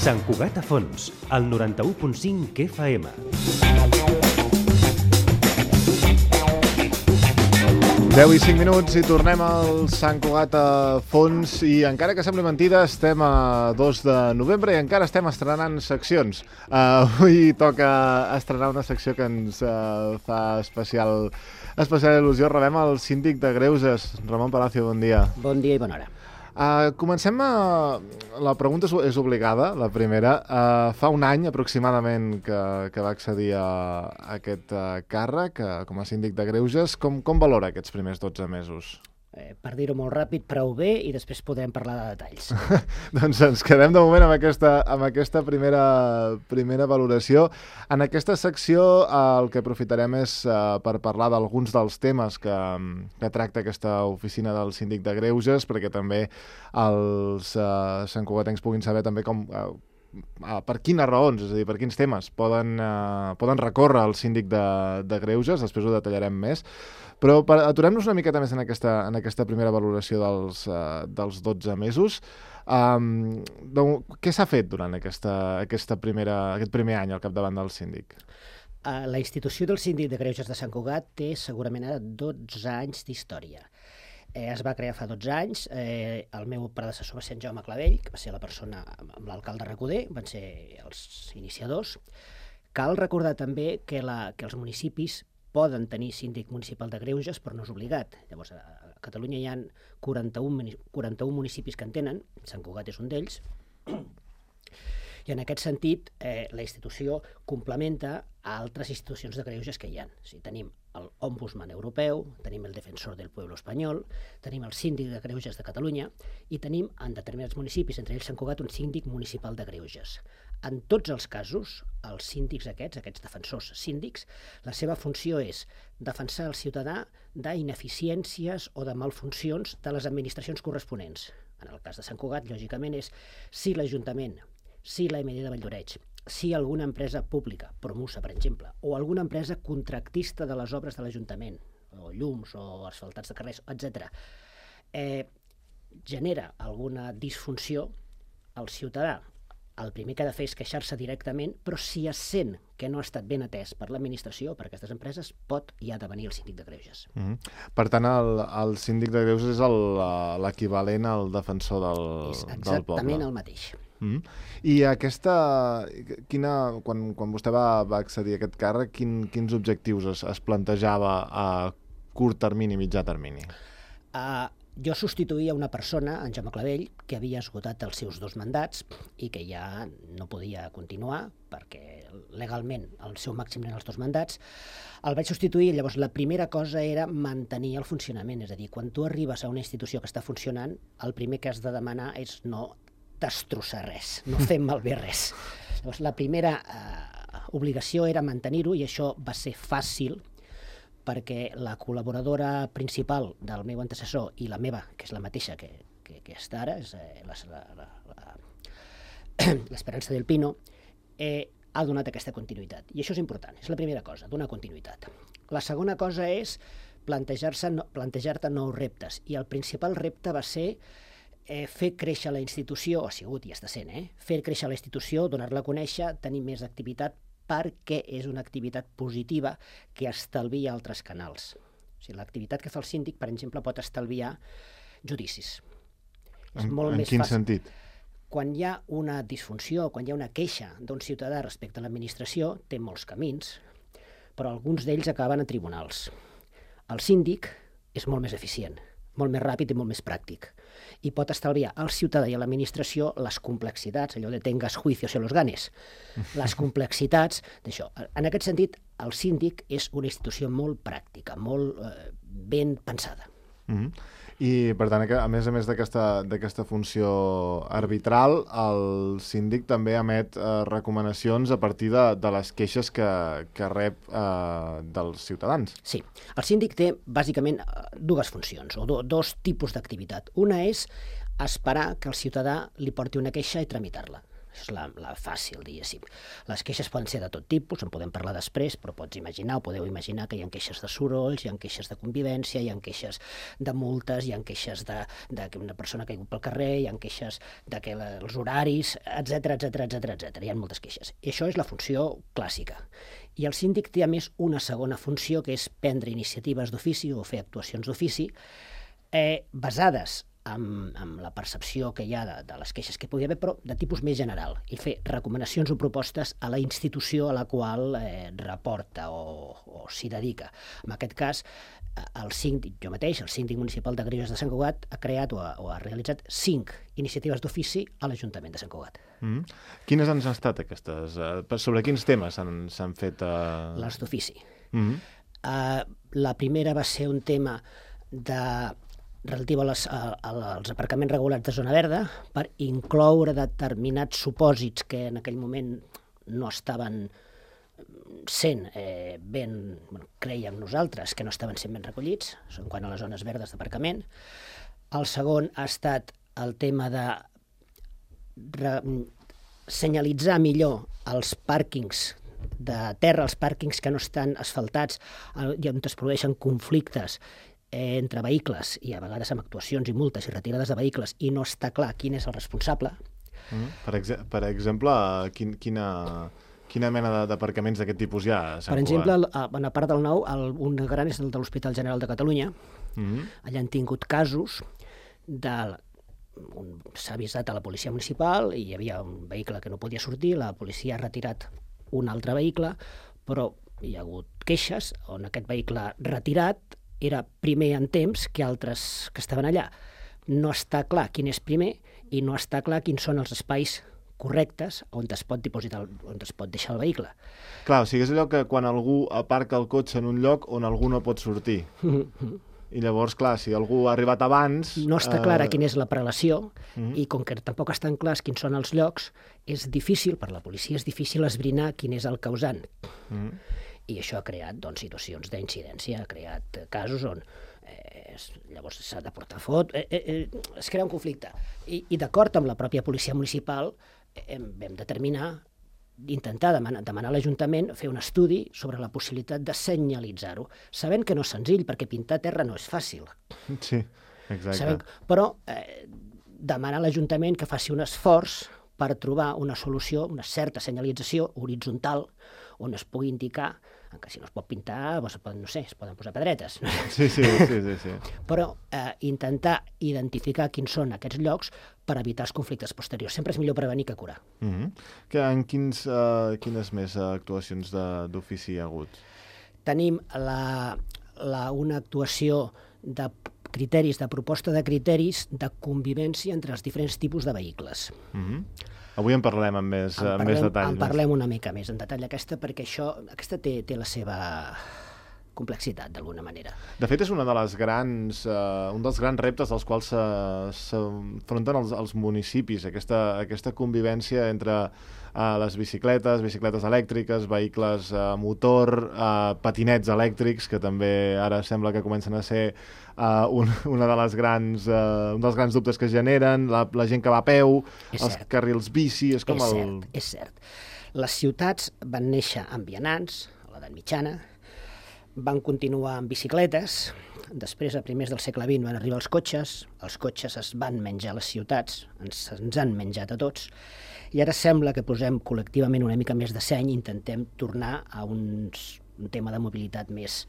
Sant Cugat a Fons, al 91.5 FM. Deu i 5 minuts i tornem al Sant Cugat a Fons i encara que sembli mentida estem a 2 de novembre i encara estem estrenant seccions. Avui toca estrenar una secció que ens fa especial il·lusió. Rebem el síndic de Greuges, Ramon Palacio, bon dia. Bon dia i bona hora. Comencem la pregunta és obligada, la primera. Fa un any aproximadament que va accedir a aquest càrrec com a síndic de Greuges. Com valora aquests primers 12 mesos? Per dir-ho molt ràpid, prou bé, i després podrem parlar de detalls. Doncs ens quedem de moment amb aquesta primera valoració. En aquesta secció el que aprofitarem és per parlar d'alguns dels temes que tracta aquesta oficina del síndic de Greuges, perquè també els santcugatencs puguin saber també per quines raons, és a dir, per quins temes poden recórrer al síndic de Greuges. Després ho detallarem més. Però aturem-nos una miqueta més en aquesta primera valoració dels 12 mesos. Què s'ha fet durant aquest primer any al capdavant del síndic? La institució del síndic de Greuges de Sant Cugat té segurament ara 12 anys d'història. Es va crear fa 12 anys. El meu predecessor va ser en Jaume Clavell, que va ser la persona amb l'alcalde Recoder, van ser els iniciadors. Cal recordar també que els municipis poden tenir síndic municipal de Greuges, però no és obligat. Llavors, a Catalunya hi ha 41 municipis que en tenen, Sant Cugat és un d'ells, i en aquest sentit la institució complementa a altres institucions de Greuges que hi ha. O sigui, tenim l'Ombudsman Europeu, tenim el Defensor del Pueblo Espanyol, tenim el Síndic de Greuges de Catalunya i tenim en determinats municipis, entre ells Sant Cugat, un síndic municipal de Greuges. En tots els casos, els síndics aquests defensors síndics, la seva funció és defensar el ciutadà d'ineficiències o de malfuncions de les administracions corresponents. En el cas de Sant Cugat, lògicament, és si l'Ajuntament, si la MD de Valldoreix, si alguna empresa pública, Promusa, per exemple, o alguna empresa contractista de les obres de l'Ajuntament, o llums, o asfaltats de carrers, etc., genera alguna disfunció, el ciutadà el primer que ha de fer és queixar-se directament, però si es sent que no ha estat ben atès per l'administració o per aquestes empreses, pot i ha de venir el síndic de Greuges. Per tant, el síndic de Greuges és l'equivalent al defensor del poble. És exactament el mateix. I quan vostè va accedir a aquest càrrec, quins objectius es plantejava a curt termini, mitjà termini? Jo substituïa una persona, en Jaume Clavell, que havia esgotat els seus 2 mandats i que ja no podia continuar perquè legalment el seu màxim eren els 2 mandats. El vaig substituir i llavors la primera cosa era mantenir el funcionament. És a dir, quan tu arribes a una institució que està funcionant, el primer que has de demanar és no destrossar res, no fer malbé res. Llavors la primera obligació era mantenir-ho i això va ser fàcil perquè la col·laboradora principal del meu antecessor i la meva, que és la mateixa que està ara, és l'Esperança del Pino, ha donat aquesta continuïtat. I això és important, és la primera cosa, donar continuïtat. La segona cosa és plantejar-te nous reptes, i el principal repte va ser fer créixer la institució, ha sigut i està sent, fer créixer la institució, donar-la a conèixer, tenir més activitat, perquè és una activitat positiva que estalvia altres canals. O sigui, l'activitat que fa el síndic, per exemple, pot estalviar judicis. En quin sentit? Quan hi ha una disfunció, quan hi ha una queixa d'un ciutadà respecte a l'administració, té molts camins, però alguns d'ells acaben a tribunals. El síndic és molt més eficient, molt més ràpid i molt més pràctic, i pot estalviar al ciutadà i a l'administració les complexitats, allò de tengas juicio se los ganes, les complexitats d'això. En aquest sentit, el síndic és una institució molt pràctica, molt ben pensada. I, per tant, a més d'aquesta funció arbitral, el síndic també emet recomanacions a partir de les queixes que rep dels ciutadans. Sí. El síndic té, bàsicament, 2 funcions, o 2 tipus d'activitat. Una és esperar que el ciutadà li porti una queixa i tramitar-la. és la fàcil, diguéssim. Les queixes poden ser de tot tipus, en podem parlar després, però podeu imaginar que hi ha queixes de sorolls, hi ha queixes de convivència, hi ha queixes de multes, hi ha queixes de que una persona ha caigut pel carrer, hi ha queixes de que els horaris, etc. Hi ha moltes queixes. I això és la funció clàssica. I el síndic té, a més, una segona funció, que és prendre iniciatives d'ofici o fer actuacions d'ofici basades amb la percepció que hi ha de les queixes que pugui haver, però de tipus més general, i fer recomanacions o propostes a la institució a la qual reporta o s'hi dedica. En aquest cas, el síndic municipal de Greuges de Sant Cugat ha creat o ha realitzat 5 iniciatives d'ofici a l'Ajuntament de Sant Cugat. Quines han estat aquestes? Sobre quins temes s'han fet? Les d'ofici. La primera va ser un tema relatiu als aparcaments regulats de zona verda, per incloure determinats supòsits que en aquell moment no estaven sent creiem nosaltres que no estaven sent ben recollits, en quant a les zones verdes d'aparcament. El segon ha estat el tema de senyalitzar millor els pàrquings de terra, els pàrquings que no estan asfaltats i on es produeixen conflictes entre vehicles i a vegades amb actuacions i multes i retirades de vehicles i no està clar quin és el responsable. Per exemple, quina mena d'aparcaments d'aquest tipus hi ha? Per exemple, a part del nou, un gran és el de l'Hospital General de Catalunya. Allà han tingut casos s'ha avisat a la policia municipal i hi havia un vehicle que no podia sortir, la policia ha retirat un altre vehicle, però hi ha hagut queixes on aquest vehicle retirat era primer en temps que altres que estaven allà. No està clar quin és primer i no està clar quins són els espais correctes on es pot dipositar, on es pot deixar el vehicle. Clar, o sigui, és allò que quan algú aparca el cotxe en un lloc on algú no pot sortir. I llavors, clar, si algú ha arribat abans... No està clara quina és la prelació i com que tampoc estan clars quins són els llocs, és difícil, per la policia és difícil esbrinar quin és el causant. I això ha creat situacions d'incidència, ha creat casos on llavors s'ha de portar es crea un conflicte. I d'acord amb la pròpia policia municipal vam intentar demanar a l'Ajuntament fer un estudi sobre la possibilitat de senyalitzar-ho, sabent que no és senzill, perquè pintar terra no és fàcil. Sí, exacte. Però demanar a l'Ajuntament que faci un esforç per trobar una solució, una certa senyalització horitzontal, on es pugui indicar que si no es pot pintar, no sé, es poden posar pedretes. Sí. Però intentar identificar quins són aquests llocs per evitar els conflictes posteriors. Sempre és millor prevenir que curar. En quines més actuacions d'ofici hi ha hagut? Tenim una actuació de criteris, de proposta de criteris de convivència entre els diferents tipus de vehicles. Avui en parlarem amb més detall. En parlem una mica més en detall d'aquesta, perquè aquesta té la seva complexitat, d'alguna manera. De fet, és un dels grans reptes als quals s'afronten els municipis, aquesta convivència entre les bicicletes elèctriques, vehicles a motor, patinets elèctrics, que també ara sembla que comencen a ser un dels grans dubtes que es generen, la gent que va a peu, els carrils bici... És cert. Les ciutats van néixer amb vianants, a l'edat mitjana, van continuar amb bicicletes, després, a primers del segle XX, van arribar els cotxes es van menjar a les ciutats, ens han menjat a tots, i ara sembla que posem col·lectivament una mica més de seny i intentem tornar a un tema de mobilitat més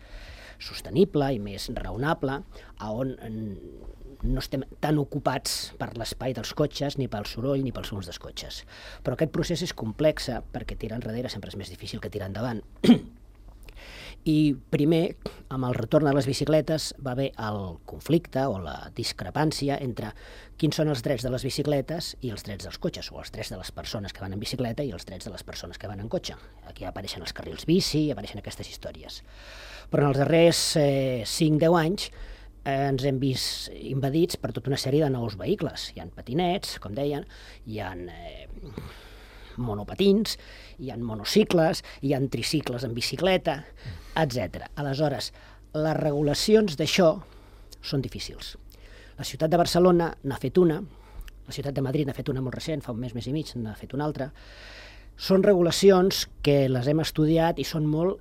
sostenible i més raonable, on no estem tan ocupats per l'espai dels cotxes, ni pel soroll, ni pels sons dels cotxes. Però aquest procés és complex, perquè tirar enrere sempre és més difícil que tirar endavant. I primer, amb el retorn de les bicicletes, va haver el conflicte o la discrepància entre quins són els drets de les bicicletes i els drets dels cotxes, o els drets de les persones que van en bicicleta i els drets de les persones que van en cotxe. Aquí apareixen els carrils bici, apareixen aquestes històries. Però en els darrers 5-10 anys ens hem vist invadits per tota una sèrie de nous vehicles. Hi ha patinets, com deien, hi ha monopatins, hi ha monocicles, hi ha tricicles en bicicleta, etc. Aleshores, les regulacions d'això són difícils. La ciutat de Barcelona n'ha fet una, La ciutat de Madrid n'ha fet una molt recent, fa un mes i mig, n'ha fet una altra. Són regulacions que les hem estudiat i són molt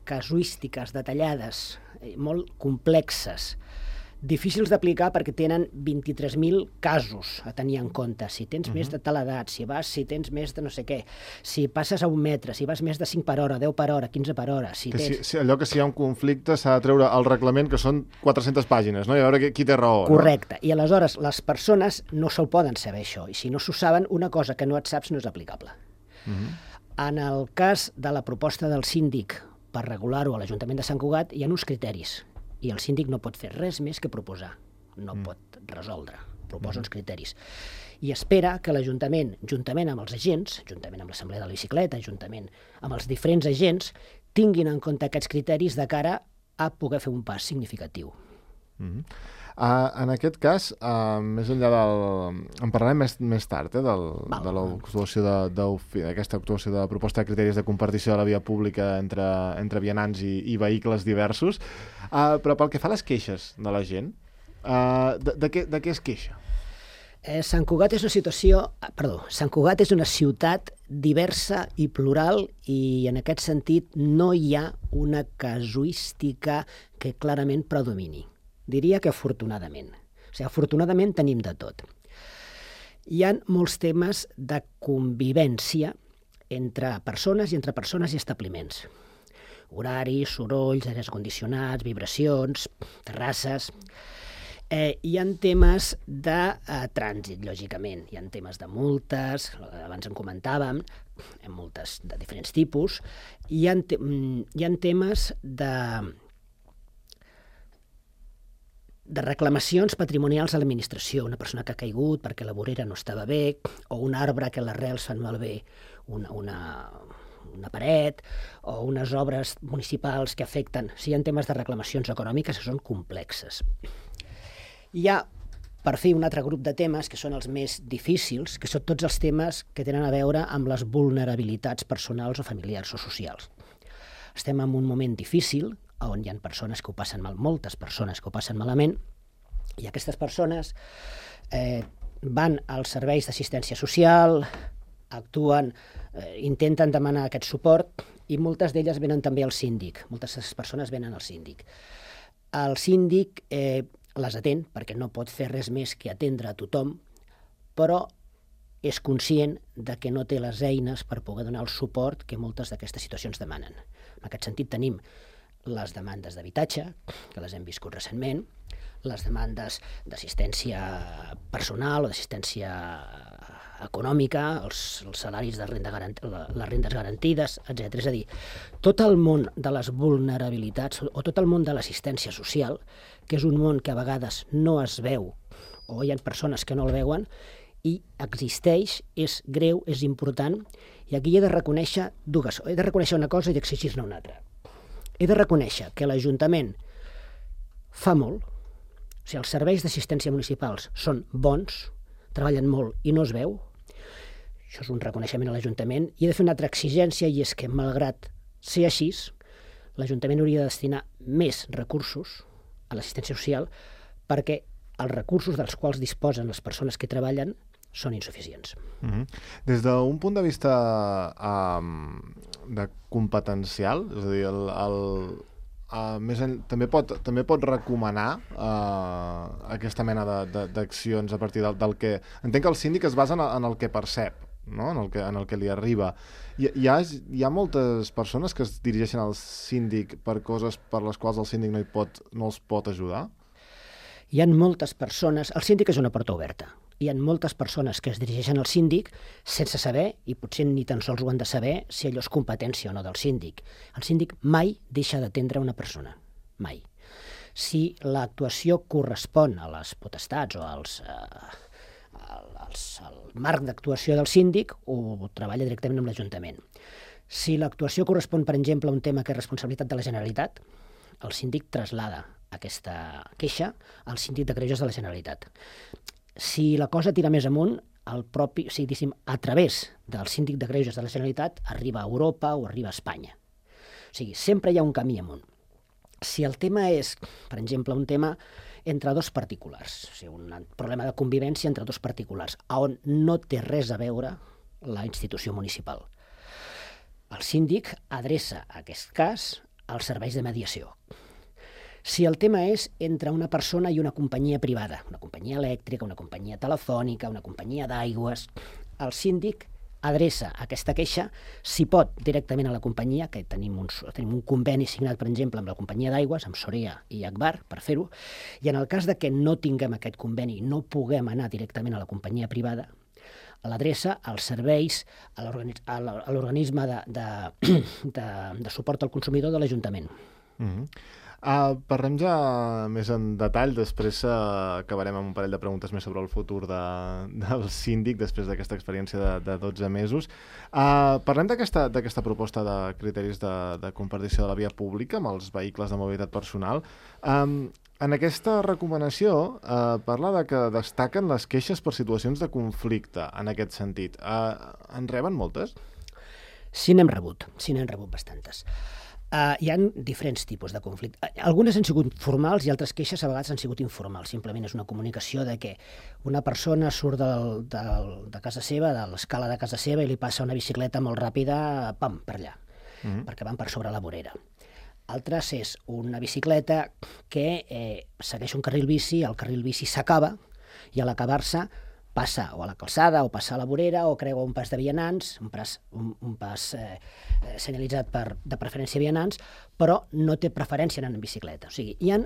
casuístiques, detallades, molt complexes, difícils d'aplicar perquè tenen 23.000 casos a tenir en compte. Si tens més de tal edat, si tens més de no sé què, si passes a 1 metre, si vas més de 5 per hora, 10 per hora, 15 per hora... Allò que si hi ha un conflicte s'ha de treure al reglament, que són 400 pàgines, no? I a veure qui té raó. Correcte. No? I aleshores les persones no se'l poden saber, això. I si no s'ho saben, una cosa que no et saps no és aplicable. En el cas de la proposta del síndic per regular-ho a l'Ajuntament de Sant Cugat, hi ha uns criteris. I el síndic no pot fer res més que proposar, no pot resoldre, proposa uns criteris. I espera que l'Ajuntament, juntament amb els agents, juntament amb l'Assemblea de la Bicicleta, juntament amb els diferents agents, tinguin en compte aquests criteris de cara a poder fer un pas significatiu. En aquest cas, més enllà en parlarem més tard, de l'actuació d'aquesta actuació de proposta de criteris de compartició de la via pública entre vianants i vehicles diversos, però pel que fa a les queixes de la gent, de què es queixa? Sant Cugat és Sant Cugat és una ciutat diversa i plural i en aquest sentit no hi ha una casuística que clarament predomini. Diria que afortunadament. O sigui, afortunadament tenim de tot. Hi ha molts temes de convivència entre persones i establiments. Horaris, sorolls, aires condicionats, vibracions, terrasses... hi ha temes de trànsit, lògicament. Hi ha temes de multes, abans en comentàvem, multes de diferents tipus. Hi ha temes de reclamacions patrimonials a l'administració, una persona que ha caigut perquè la vorera no estava bé, o un arbre que les arrels fan malbé una paret, o unes obres municipals que afecten... Hi ha temes de reclamacions econòmiques que són complexes. Hi ha, per fi, un altre grup de temes que són els més difícils, que són tots els temes que tenen a veure amb les vulnerabilitats personals o familiars o socials. Estem en un moment difícil, on hi ha persones que ho passen mal, moltes persones que ho passen malament, i aquestes persones van als serveis d'assistència social, actuen, intenten demanar aquest suport, i moltes d'elles venen també al síndic. Moltes de les persones venen al síndic. El síndic les atén, perquè no pot fer res més que atendre a tothom, però és conscient de que no té les eines per poder donar el suport que moltes d'aquestes situacions demanen. En aquest sentit tenim les demandes d'habitatge, que les hem viscut recentment, les demandes d'assistència personal o d'assistència econòmica, els salaris de les rendes garantides, etc. És a dir, tot el món de les vulnerabilitats o tot el món de l'assistència social, que és un món que a vegades no es veu o hi ha persones que no el veuen, i existeix, és greu, és important, i aquí he de reconèixer una cosa i d'exigir-ne una altra. He de reconèixer que l'Ajuntament fa molt, o sigui, els serveis d'assistència municipals són bons, treballen molt i no es veu. Això és un reconeixement a l'Ajuntament. I he de fer una altra exigència, i és que, malgrat ser així, l'Ajuntament hauria de destinar més recursos a l'assistència social perquè els recursos dels quals disposen les persones que treballen són insuficients. Des d'un punt de vista de competencial, és a dir, també pot recomanar aquesta mena d'accions a partir del que... Entenc que el síndic es basa en el que percep, no? en el que li arriba. Hi ha moltes persones que es dirigeixen al síndic per coses per les quals el síndic no els pot ajudar? Hi ha moltes persones... El síndic és una porta oberta. Hi ha moltes persones que es dirigeixen al síndic sense saber, i potser ni tan sols ho han de saber, si allò és competència o no del síndic. El síndic mai deixa d'atendre una persona. Mai. Si l'actuació correspon a les potestats o al marc d'actuació del síndic, ho treballa directament amb l'Ajuntament. Si l'actuació correspon, per exemple, a un tema que és responsabilitat de la Generalitat, el síndic traslada aquesta queixa al síndic de greuges de la Generalitat. Si la cosa tira més amunt, a través del síndic de greuges de la Generalitat arriba a Europa o arriba a Espanya. O sigui, sempre hi ha un camí amunt. Si el tema és, per exemple, un tema entre dos particulars, o sigui, un problema de convivència entre dos particulars, on no té res a veure la institució municipal. El síndic adreça aquest cas als serveis de mediació. Si el tema és entre una persona i una companyia privada, una companyia elèctrica, una companyia telefònica, una companyia d'aigües, el síndic adreça aquesta queixa, si pot, directament a la companyia, que tenim un conveni signat, per exemple, amb la companyia d'aigües, amb Sorea i Agbar, per fer-ho, i en el cas de que no tinguem aquest conveni, no puguem anar directament a la companyia privada, l'adreça als serveis, a l'organisme de suport al consumidor de l'Ajuntament. Parlem ja més en detall, després acabarem amb un parell de preguntes més sobre el futur del síndic després d'aquesta experiència de 12 mesos. Parlem d'aquesta proposta de criteris de compartició de la via pública amb els vehicles de mobilitat personal. En aquesta recomanació parla de que destaquen les queixes per situacions de conflicte en aquest sentit. En reben moltes? Sí, n'hem rebut bastantes. Hi ha diferents tipus de conflicte. Algunes han sigut formals i altres queixes a vegades han sigut informals. Simplement és una comunicació de que una persona surt de casa seva, de l'escala de casa seva, i li passa una bicicleta molt ràpida, pam, per allà, perquè van per sobre la vorera. Altres és una bicicleta que segueix un carril bici, el carril bici s'acaba i a l'acabar-se passa o a la calçada o passa a la vorera o creua un pas de vianants, un pas senyalitzat de preferència vianants, però no té preferència anant en bicicleta. O sigui, hi ha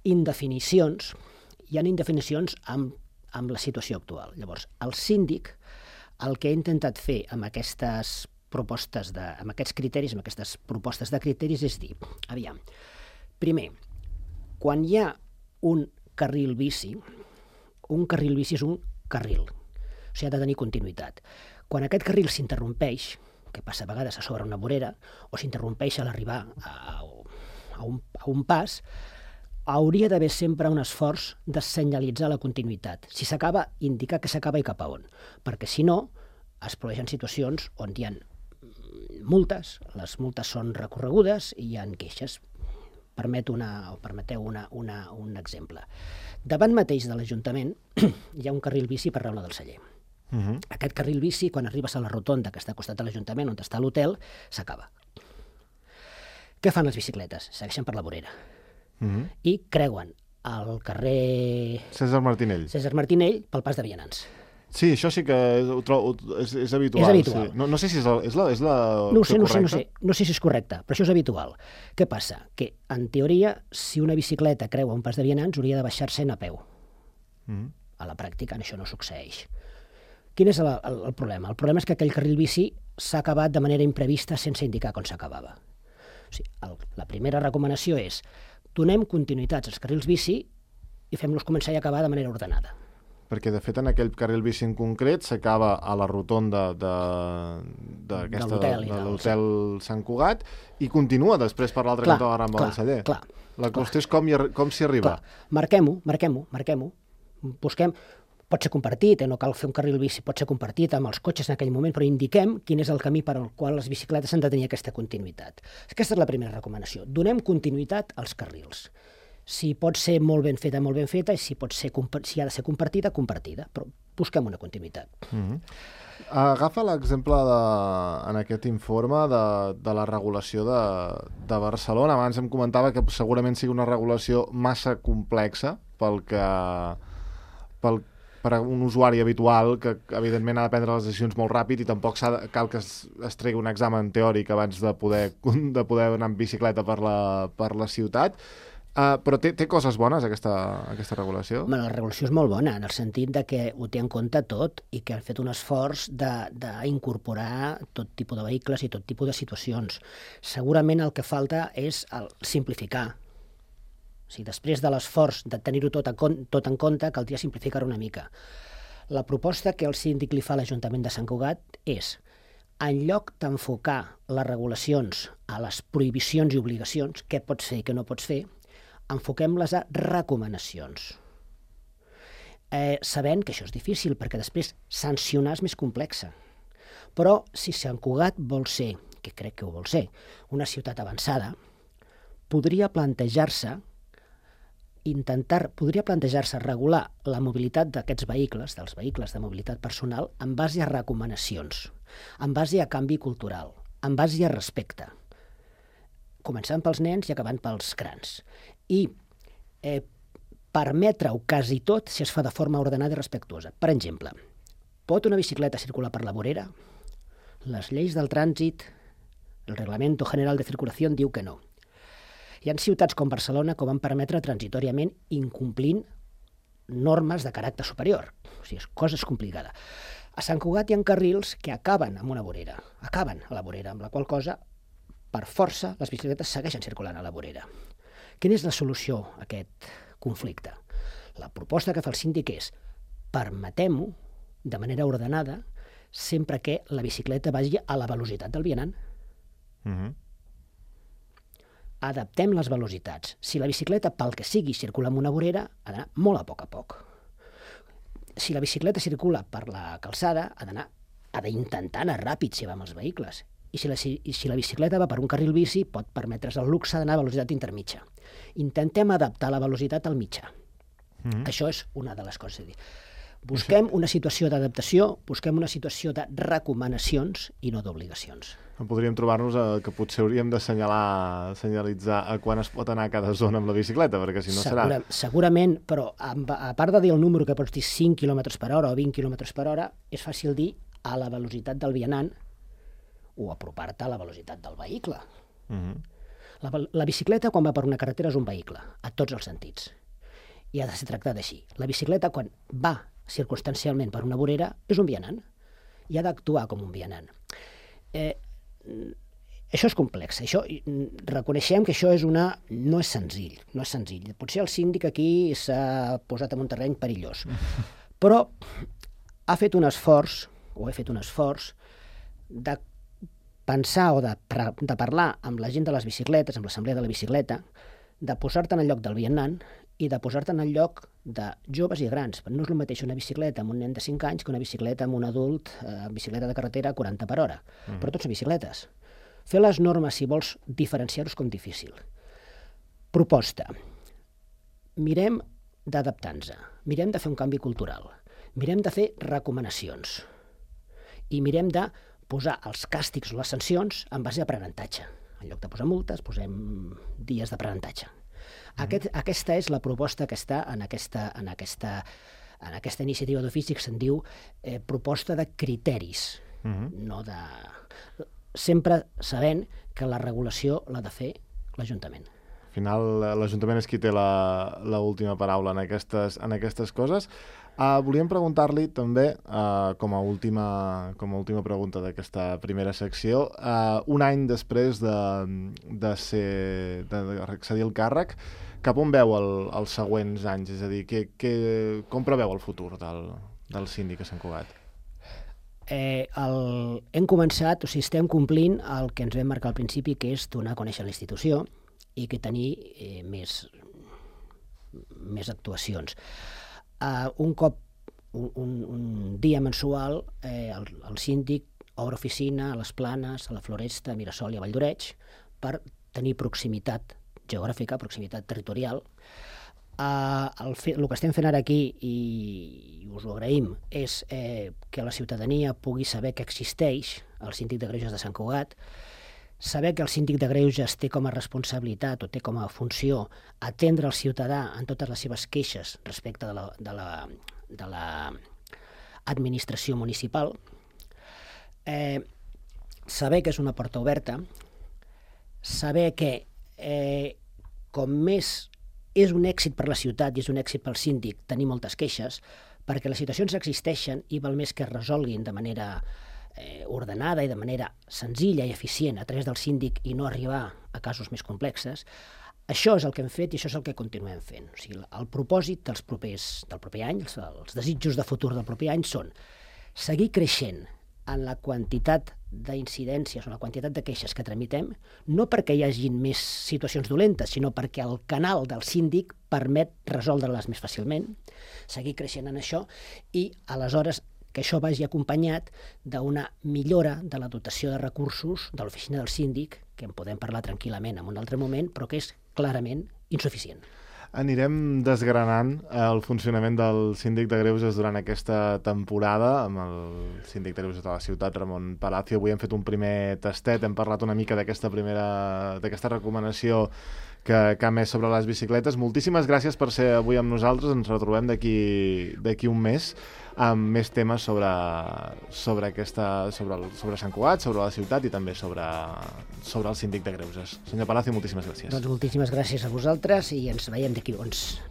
indefinicions amb la situació actual. Llavors, el síndic el que ha intentat fer amb aquestes propostes, amb aquests criteris, amb aquestes propostes de criteris és dir, aviam, primer, quan hi ha un carril bici és un carril, o sigui, ha de tenir continuïtat. Quan aquest carril s'interrompeix, que passa a vegades a sobre una vorera, o s'interrompeix a l'arribar a un pas, hauria d'haver sempre un esforç de senyalitzar la continuïtat. Si s'acaba, indicar que s'acaba i cap a on, perquè si no, es produeixen situacions on hi ha multes, les multes són recorregudes i hi ha queixes. Permeteu un exemple. Davant mateix de l'Ajuntament hi ha un carril bici per Raula del Celler. Aquest carril bici, quan arribes a la rotonda que està al costat de l'Ajuntament, on està l'hotel, s'acaba. Què fan les bicicletes? Segueixen per la vorera. I creuen el carrer Cèsar Martinell pel pas de vianants. Sí, això sí que és habitual. És habitual. Sí. No sé si és la No sé si és correcte, però això és habitual. Què passa? Que, en teoria, si una bicicleta creua un pas de vianants, hauria de baixar-se'n a peu. A la pràctica això no succeeix. Quin és el problema? El problema és que aquell carril bici s'ha acabat de manera imprevista sense indicar com s'acabava. O sigui, la primera recomanació és donem continuïtats als carrils bici i fem-los començar i acabar de manera ordenada. Perquè, de fet, en aquell carril bici en concret s'acaba a la rotonda de l'hotel Sant Cugat i continua després per l'altre cantó de la Rambla del Celler. La qüestió és com s'hi arriba. Marquem-ho. Busquem. Pot ser compartit, no cal fer un carril bici, pot ser compartit amb els cotxes en aquell moment, però indiquem quin és el camí per al qual les bicicletes han de tenir aquesta continuïtat. Aquesta és la primera recomanació. Donem continuïtat als carrils. Si pot ser molt ben feta, i si ha de ser compartida, però busquem una continuïtat. Agafa l'exemple en aquest informe de la regulació de Barcelona. Abans em comentava que segurament sigui una regulació massa complexa per a un usuari habitual que, evidentment, ha de prendre les decisions molt ràpid i tampoc cal que es tregui un examen teòric abans de poder anar en bicicleta per la ciutat. Però té coses bones, aquesta regulació? La regulació és molt bona, en el sentit de que ho té en compte tot i que han fet un esforç d'incorporar tot tipus de vehicles i tot tipus de situacions. Segurament el que falta és simplificar. O sigui, després de l'esforç de tenir-ho tot en compte, caldria simplificar-ho una mica. La proposta que el síndic li fa a l'Ajuntament de Sant Cugat és, en lloc d'enfocar les regulacions a les prohibicions i obligacions, què pots fer i què no pots fer, enfoquem-les a recomanacions. Sabent que això és difícil, perquè després sancionar és més complexa. Però si Sant Cugat vol ser, que crec que ho vol ser, una ciutat avançada, podria plantejar-se podria plantejar-se regular la mobilitat d'aquests vehicles, dels vehicles de mobilitat personal, en base a recomanacions, en base a canvi cultural, en base a respecte, començant pels nens i acabant pels grans. I permetre-ho quasi tot si es fa de forma ordenada i respectuosa. Per exemple, pot una bicicleta circular per la vorera? Les lleis del trànsit, el Reglamento General de Circulación diu que no. Hi ha ciutats com Barcelona que ho van permetre transitoriament incomplint normes de caràcter superior. O sigui, cosa és complicada. A Sant Cugat hi ha carrils que acaben amb una vorera, acaben a la vorera, amb la qual cosa, per força, les bicicletes segueixen circulant a la vorera. Quina és la solució a aquest conflicte? La proposta que fa el síndic és permetem-ho de manera ordenada sempre que la bicicleta vagi a la velocitat del vianant. Adaptem les velocitats. Si la bicicleta, pel que sigui, circula en una vorera, ha d'anar molt a poc. Si la bicicleta circula per la calçada, ha d'intentar anar ràpid si va amb els vehicles. I si la bicicleta va per un carril bici, pot permetre's el luxe d'anar a velocitat intermitja. Intentem adaptar la velocitat al mitjà. Això és una de les coses a dir. Busquem una situació d'adaptació, busquem una situació de recomanacions i no d'obligacions. Podríem trobar-nos que potser hauríem de senyalitzar a quan es pot anar a cada zona amb la bicicleta, perquè si no serà... Segurament, però a part de dir el número que pots dir 5 km per hora o 20 km per hora, és fàcil dir a la velocitat del vianant o apropar-te a la velocitat del vehicle. La bicicleta, quan va per una carretera, és un vehicle, a tots els sentits. I ha de ser tractada així. La bicicleta, quan va circumstancialment per una vorera, és un vianant. I ha d'actuar com un vianant. Això és complex. Reconeixem que això no és senzill. Potser el síndic aquí s'ha posat en un terreny perillós. Però ha fet un esforç, o he fet un esforç, de pensar o de parlar amb la gent de les bicicletes, amb l'assemblea de la bicicleta, de posar-te en el lloc del vianant i de posar-te en el lloc de joves i grans. No és el mateix una bicicleta amb un nen de 5 anys que una bicicleta amb un adult amb bicicleta de carretera a 40 per hora. Però tots són bicicletes. Fer les normes, si vols diferenciar-ho, és com difícil. Proposta. Mirem d'adaptar-nos. Mirem de fer un canvi cultural. Mirem de fer recomanacions. I mirem de posar els càstigs o les sancions en base a aprenentatge. En lloc de posar multes, posem dies d'aprenentatge. Aquesta és la proposta que està en aquesta iniciativa d'ofici que se'n diu proposta de criteris, no de... sempre sabent que la regulació l'ha de fer l'Ajuntament. Al final, l'Ajuntament és qui té l'última paraula en aquestes coses. Volíem preguntar-li també, com a última pregunta d'aquesta primera secció, un any després d'accedir al càrrec, cap on veu els següents anys? És a dir, com preveu el futur del síndic a Sant Cugat? Hem començat, estem complint el que ens vam marcar al principi, que és donar a conèixer la institució i que tenir més actuacions. Un cop, un dia mensual, el síndic obre oficina a les Planes, a la Floresta, a Mirasol i a Valldoreix per tenir proximitat geogràfica, proximitat territorial. El que estem fent ara aquí, i us ho agraïm, és que la ciutadania pugui saber que existeix el síndic de Greuges de Sant Cugat, saber que el síndic de Greuges té com a responsabilitat o té com a funció atendre el ciutadà en totes les seves queixes respecte de l'administració municipal, saber que és una porta oberta, saber que com més és un èxit per la ciutat i és un èxit pel síndic tenir moltes queixes, perquè les situacions existeixen i val més que es resolguin de manera ordenada i de manera senzilla i eficient a través del síndic i no arribar a casos més complexes. Això és el que hem fet i això és el que continuem fent. O sigui, el propòsit del proper any, els desitjos de futur del proper any són seguir creixent en la quantitat d'incidències o la quantitat de queixes que tramitem, no perquè hi hagi més situacions dolentes, sinó perquè el canal del síndic permet resoldre-les més fàcilment, seguir creixent en això i, aleshores, que això vagi acompanyat d'una millora de la dotació de recursos de l'oficina del síndic, que en podem parlar tranquil·lament en un altre moment, però que és clarament insuficient. anirem desgranant el funcionament del síndic de Greuges durant aquesta temporada amb el síndic de Greuges de la ciutat, Ramon Palacio. Avui hem fet un primer tastet, hem parlat una mica d'aquesta recomanació que ha emès sobre les bicicletes. Moltíssimes gràcies per ser avui amb nosaltres. Ens retrobem d'aquí un mes amb més temes sobre Sant Cugat, sobre la ciutat i també sobre el síndic de Greuges. Senyor Palacio, moltíssimes gràcies. Doncs moltíssimes gràcies a vosaltres i ens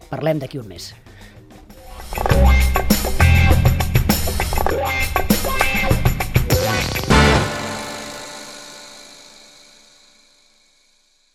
parlem d'aquí un mes.